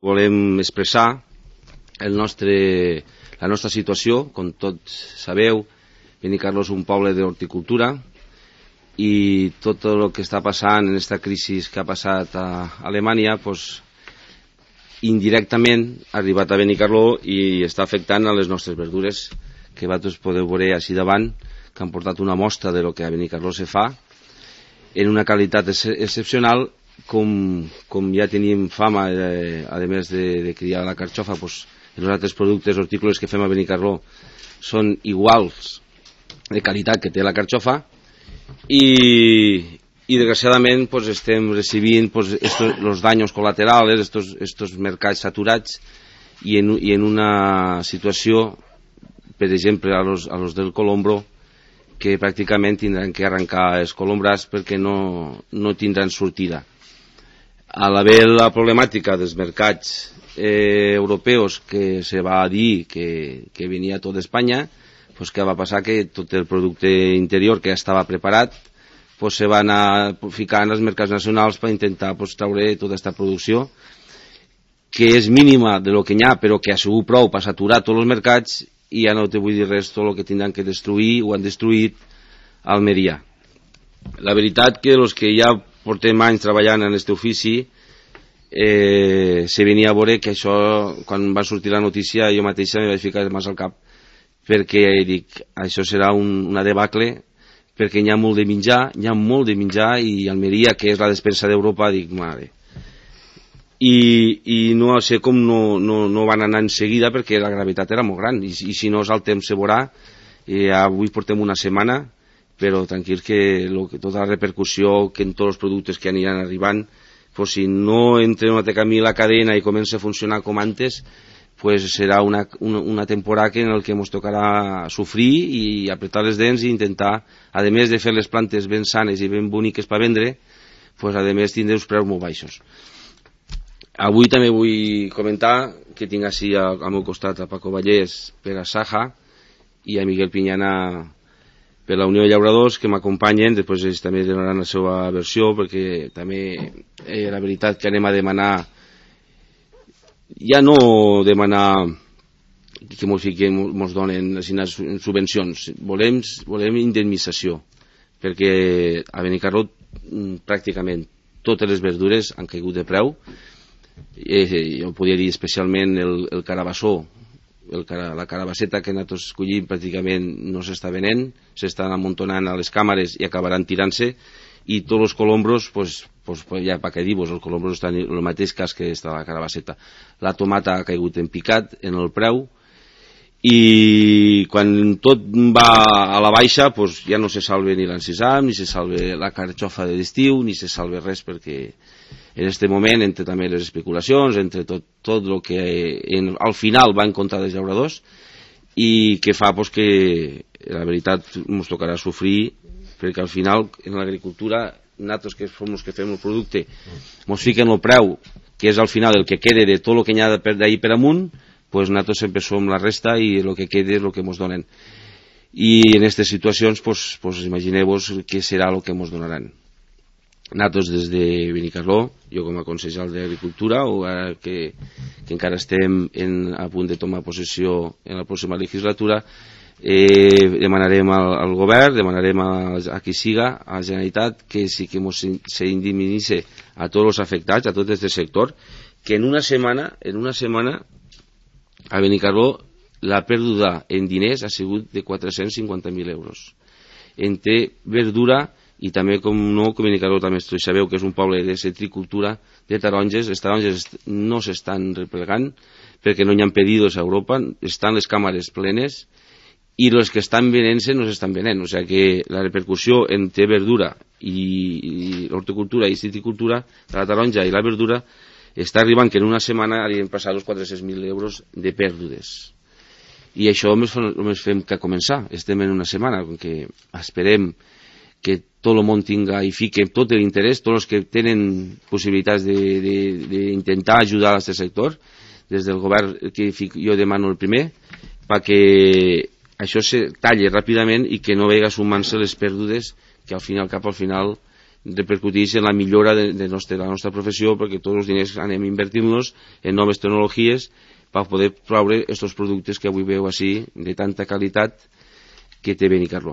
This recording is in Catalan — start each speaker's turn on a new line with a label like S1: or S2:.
S1: volem expressar la nostra situació. Com tots sabeu, Benicarló és un poble d'horticultura i tot el que està passant en aquesta crisi que ha passat a Alemanya, indirectament ha arribat a Benicarló i està afectant a les nostres verdures, que vosaltres podeu veure així davant, que han portat una mostra de lo que a Benicarló se fa en una qualitat excepcional. Com ja tenim fama, a més de criar la carxofa, els altres productes hortícoles que fem a Benicarló són iguals de qualitat que té la carxofa, i desgraciadament estem recibint els danys col·laterals, estos mercats saturats, i en una situació, per exemple, a los del colombro, que pràcticament tindran que arrencar els colombrats perquè no tindran sortida. A l'haver la problemàtica dels mercats europeus, que se va dir que venia tot d'Espanya, què va passar? Que tot el producte interior que ja estava preparat se va anar ficant als mercats nacionals per intentar treure tota aquesta producció, que és mínima de lo que n'hi ha, però que ha sigut prou per saturar tots els mercats, i ja no te vull dir res tot el que tindran que destruir o han destruït a Almeria. La veritat que els que ja portem anys treballant en aquest ofici, se venia a veure que això, quan va sortir la notícia, jo mateixa me vaig ficar massa al cap, perquè dic, això serà una debacle, perquè n'hi ha molt de menjar, i Almeria, que és la despensa d'Europa, dic, mare. I no sé com no van anar en seguida, perquè la gravetat era molt gran, i si no el temps se veurà. Avui portem una setmana, però tranquil que tota la repercussió que en tots els productes que aniran arribant, si no entra una camí la cadena i comença a funcionar com antes, serà una temporada en la que ens tocarà sofrir i apretar les dents i intentar, a més de fer les plantes ben sanes i ben boniques per vendre, a més tindre uns preus molt baixos. Avui també vull comentar que tinc així al meu costat a Paco Vallès per a Saja i a Miguel Piñana per la Unió de Llauradors, que m'acompanyen. Després ells també donaran la seva versió, perquè també la veritat que anem a demanar, ja no demanar que ens donen subvencions, volem indemnització, perquè a Benicarló pràcticament totes les verdures han caigut de preu. Jo podria dir especialment el carabassó, la carabasseta que nosaltres escollim pràcticament no s'està venent, s'estan amuntonant a les càmeres i acabaran tirant-se, i tots els colombros, ja per què dir-vos, els colombros estan en el mateix cas que està la carabasseta. La tomata ha caigut en picat en el preu, i quan tot va a la baixa ja no se salve ni l'encisam, ni se salve la carxofa d'estiu, ni se salve res, perquè en aquest moment, entre també les especulacions, entre tot el que al final va en contra dels llauradors, i que fa que la veritat ens tocarà sofrir, perquè al final en l'agricultura nosaltres que som els que fem el producte ens fiquen el preu, que és al final el que queda de tot el que n'hi ha d'ahir per amunt, nosaltres sempre som la resta i el que queda és el que ens donen, i en aquestes situacions imagineu-vos què serà el que ens donaran. Nosaltres des de Benicarló, jo com a consellera d'Agricultura, que encara estem a punt de tomar possessió en la pròxima legislatura, demanarem al govern, demanarem a qui siga, a la Generalitat, que sí que s'indemnitzi a tots els afectats, a tot aquest sector, que en una setmana a Benicarló la pèrdua en diners ha sigut de 450.000 euros entre verdura. I també, com no, que Benicarló també sabeu que és un poble de citricultura, de taronges. Les taronges no s'estan replegant perquè no hi ha pedidos a Europa, estan les càmeres plenes, i els que estan venent-se no s'estan venent. O sigui que la repercussió entre verdura i l'horticultura i citricultura, de la taronja i la verdura, està arribant que en una setmana hauríem passat els 400.000 euros de pèrdues. I això només fem que començar. Estem en una setmana, que esperem que tot el món tinga i fique tot l'interès, tots els que tenen possibilitats d'intentar ajudar a aquest sector, des del govern que jo demano el primer, perquè això se talli ràpidament i que no vegi sumant-se les pèrdues que cap al final repercuteix en la millora de la nostra professió, perquè tots els diners anem invertint-los en noves tecnologies per poder proveure aquests productes que avui veu així de tanta qualitat que té Benicarló.